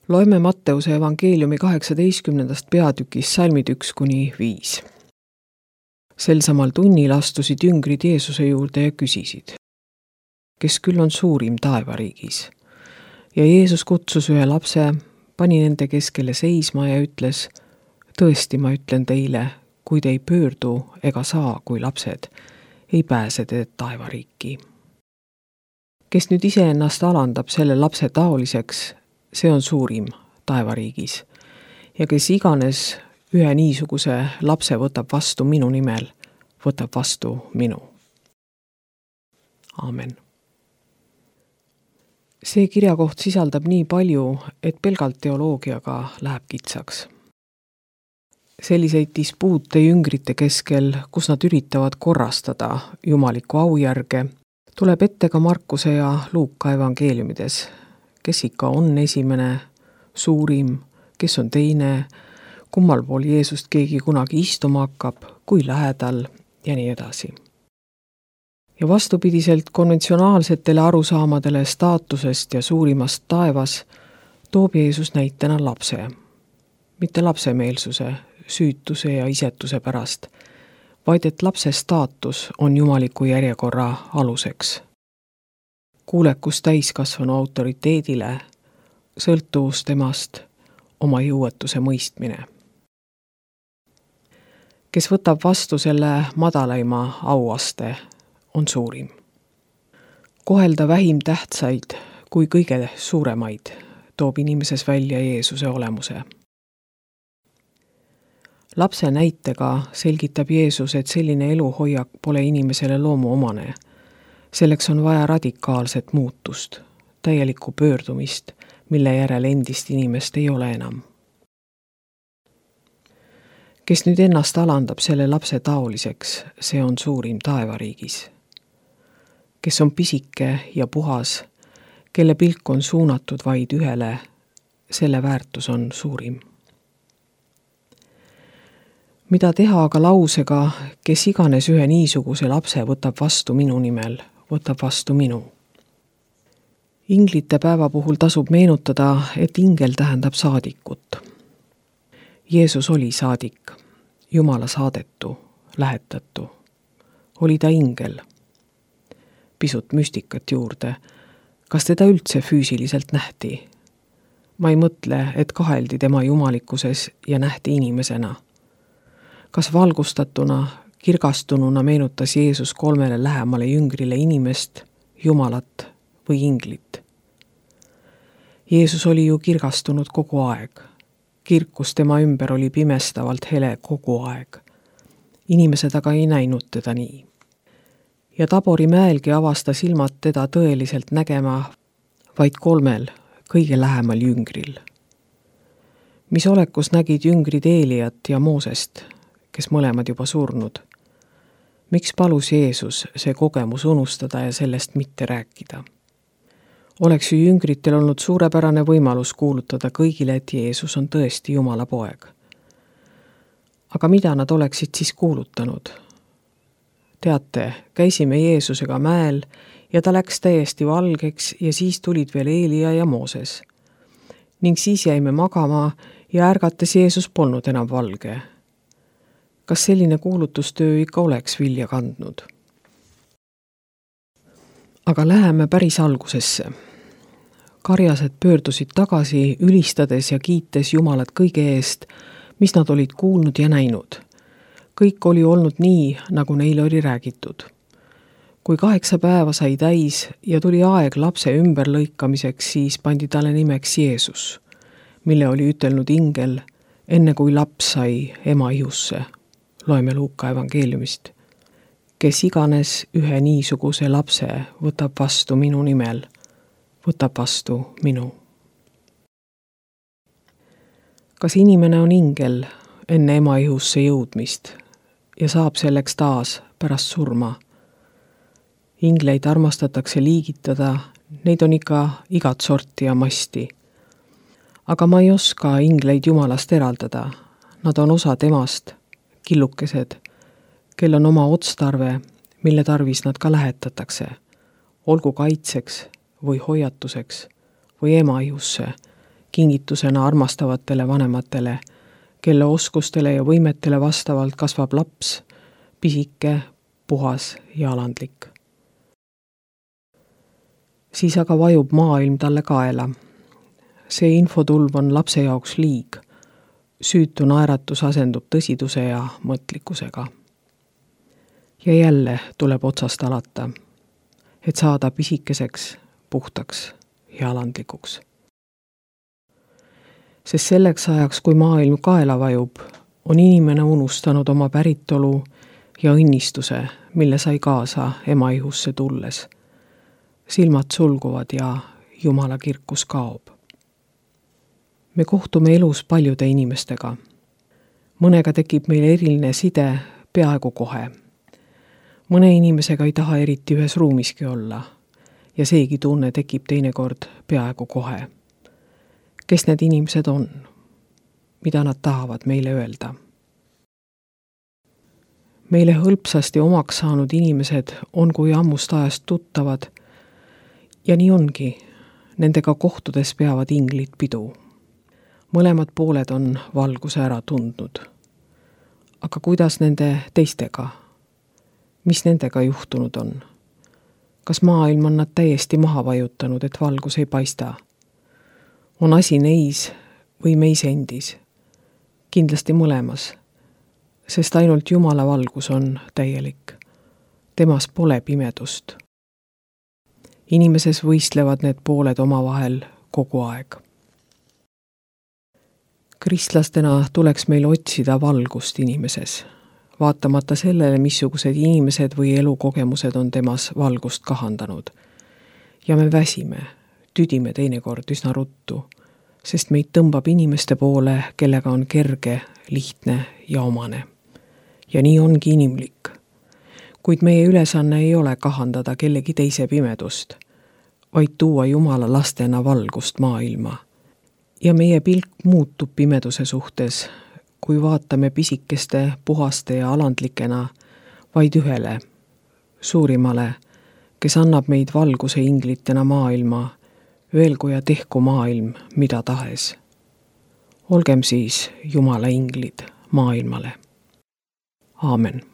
Loeme Matteuse evangeeliumi 18. peatükis salmid 1–5. Sel samal tunnil astusid jüngrid Jeesuse juurde ja küsisid, kes küll on suurim taevariigis. Ja Jeesus kutsus ühe lapse, pani nende keskele seisma ja ütles, tõesti ma ütlen teile, kui te ei pöördu ega saa kui lapsed, ei pääse te taevariiki. Kes nüüd iseennast alandab selle lapse taoliseks, see on suurim taevariigis. Ja kes iganes ühe niisuguse lapse võtab vastu minu nimel, võtab vastu minu. Aamen. See kirjakoht sisaldab nii palju, et pelgalt teoloogiaga läheb kitsaks. Selliseid dispuute jüngrite keskel, kus nad üritavad korrastada jumaliku aujärge, tuleb ette ka Markuse ja Luuka evangeeliumides. Kes ikka on esimene, suurim, kes on teine, kummal pool Jeesust keegi kunagi istuma hakkab, kui lähedal ja nii edasi. Ja vastupidiselt konventsionaalsetele arusaamadele staatusest ja suurimast taevas toob Jeesus näitena lapse. Mitte lapsemeelsuse, süütuse ja isetuse pärast, vaid et lapse staatus on jumaliku järjekorra aluseks. Kuulekus täiskasvanu autoriteedile, sõltuvus temast, oma jõuetuse mõistmine. Kes võtab vastu selle madalaima auaste, on suurim. Kohelda vähim tähtsaid kui kõige suuremaid toob inimeses välja Jeesuse olemuse. Lapse näitega selgitab Jeesus, et selline eluhoiak pole inimesele loomuomane. Selleks on vaja radikaalset muutust, täielikku pöördumist, mille järel endist inimest ei ole enam. Kes nüüd ennast alandab selle lapse taoliseks, see on suurim taevariigis. Kes on pisike ja puhas, kelle pilk on suunatud vaid ühele, selle väärtus on suurim. Mida teha aga lausega, kes iganes ühe niisuguse lapse võtab vastu minu nimel, võtab vastu minu. Inglite päeva puhul tasub meenutada, et ingel tähendab saadikut. Jeesus oli saadik, Jumala saadetu, lähetatu. Oli ta ingel. Pisut müstikat juurde. Kas teda üldse füüsiliselt nähti? Ma ei mõtle, et kaheldi tema jumalikkuses ja nähti inimesena. Kas valgustatuna, kirgastununa meenutas Jeesus 3 lähemale jüngrile inimest, Jumalat või inglit? Jeesus oli ju kirgastunud kogu aeg. Kirkus tema ümber oli pimestavalt hele kogu aeg. Inimesed aga ei näinud teda nii. Ja Tabori mäelgi avasta silmad teda tõeliselt nägema vaid 3 kõige lähemal jüngril. Mis olekus nägid jüngrid Eeliat ja Moosest, kes mõlemad juba surnud? Miks palus Jeesus see kogemus unustada ja sellest mitte rääkida? Oleks ju jüngritel olnud suurepärane võimalus kuulutada kõigile, et Jeesus on tõesti Jumala poeg. Aga mida nad oleksid siis kuulutanud? Teate, käisime Jeesusega mäel ja ta läks täiesti valgeks ja siis tulid veel Eelia ja Mooses. Ning siis jäime magama ja ärgates Jeesus polnud enam valge. Kas selline kuulutustöö ikka oleks vilja kandnud? Aga läheme päris algusesse. Karjased pöördusid tagasi, ülistades ja kiites Jumalat kõige eest, mis nad olid kuulnud ja näinud. Kõik oli olnud nii, nagu neile oli räägitud. Kui 8 päeva sai täis ja tuli aeg lapse ümberlõikamiseks, siis pandi talle nimeks Jeesus, mille oli ütelnud ingel, enne kui laps sai ema ihusse. Loeme Luuka evangeeliumist. Kes iganes ühe niisuguse lapse võtab vastu minu nimel, võtab vastu minu. Kas inimene on ingel enne ema ihusse jõudmist ja saab selleks taas pärast surma? Ingleid armastatakse liigitada, neid on ikka igat sorti ja masti. Aga ma ei oska ingleid Jumalast eraldada. Nad on osa temast, killukesed, kel on oma otstarve, mille tarvis nad ka lähetatakse, olgu kaitseks või hoiatuseks või ema ihusse kingitusena armastavatele vanematele, kelle oskustele ja võimetele vastavalt kasvab laps, pisike, puhas ja alandlik. Siis aga vajub maailm talle kaela. See infotulv on lapse jaoks liig. Süütu naeratus asendub tõsiduse ja mõtlikkusega. Ja jälle tuleb otsast alata, et saada pisikeseks, puhtaks ja alandlikuks. Sest selleks ajaks, kui maailm kaela vajub, on inimene unustanud oma päritolu ja õnnistuse, mille sai kaasa ema ihusse tulles. Silmad sulguvad ja Jumala kirkus kaob. Me kohtume elus paljude inimestega. Mõnega tekib meil eriline side peaaegu kohe. Mõne inimesega ei taha eriti ühes ruumiski olla ja seegi tunne tekib teinekord peaaegu kohe. Kes need inimesed on? Mida nad tahavad meile öelda? Meile hõlpsasti omaks saanud inimesed on kui ammust ajast tuttavad ja nii ongi, nendega kohtudes peavad inglid pidu. Mõlemad pooled on valguse ära tundnud. Aga kuidas nende teistega? Mis nendega juhtunud on? Kas maailm on nad täiesti maha vajutanud, et valgus ei paista? On asi neis või meis endis? Kindlasti mõlemas, sest ainult Jumala valgus on täielik. Temas pole pimedust. Inimeses võistlevad need pooled omavahel kogu aeg. Kristlastena tuleks meil otsida valgust inimeses, vaatamata sellele, missugused inimesed või elukogemused on temas valgust kahandanud. Ja me väsime, tüdime teinekord üsna ruttu, sest meid tõmbab inimeste poole, kellega on kerge, lihtne ja omane. Ja nii ongi inimlik. Kuid meie ülesanne ei ole kahandada kellegi teise pimedust, vaid tuua Jumala lastena valgust maailma. Ja meie pilk muutub pimeduse suhtes, kui vaatame pisikeste, puhaste ja alandlikena vaid ühele, suurimale, kes annab meid valguse inglitena maailma, öelgu ja tehku maailm mida tahes. Olgem siis Jumala inglid maailmale. Aamen.